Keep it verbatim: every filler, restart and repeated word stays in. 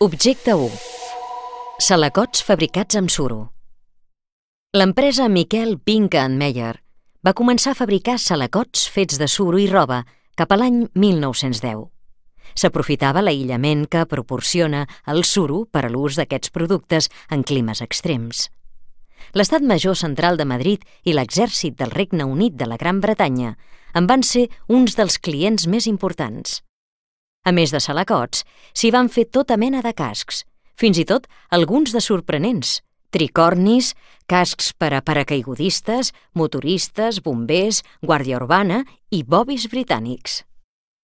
Objecte u. Salacots fabricats amb suro. L'empresa Miquel Binca and Meyer va començar a fabricar salacots fets de suro i roba cap a l'any mil nou-cents deu. S'aprofitava l'aïllament que proporciona el suro per a l'ús d'aquests productes en climes extrems. L'Estat Major Central de Madrid i l'Exèrcit del Regne Unit de la Gran Bretanya en van ser uns dels clients més importants. A més de salacots, s'hi van fer tota mena de cascs, fins i tot alguns de sorprenents, tricornis, cascs per a paracaigudistes, motoristes, bombers, guàrdia urbana i bobis britànics.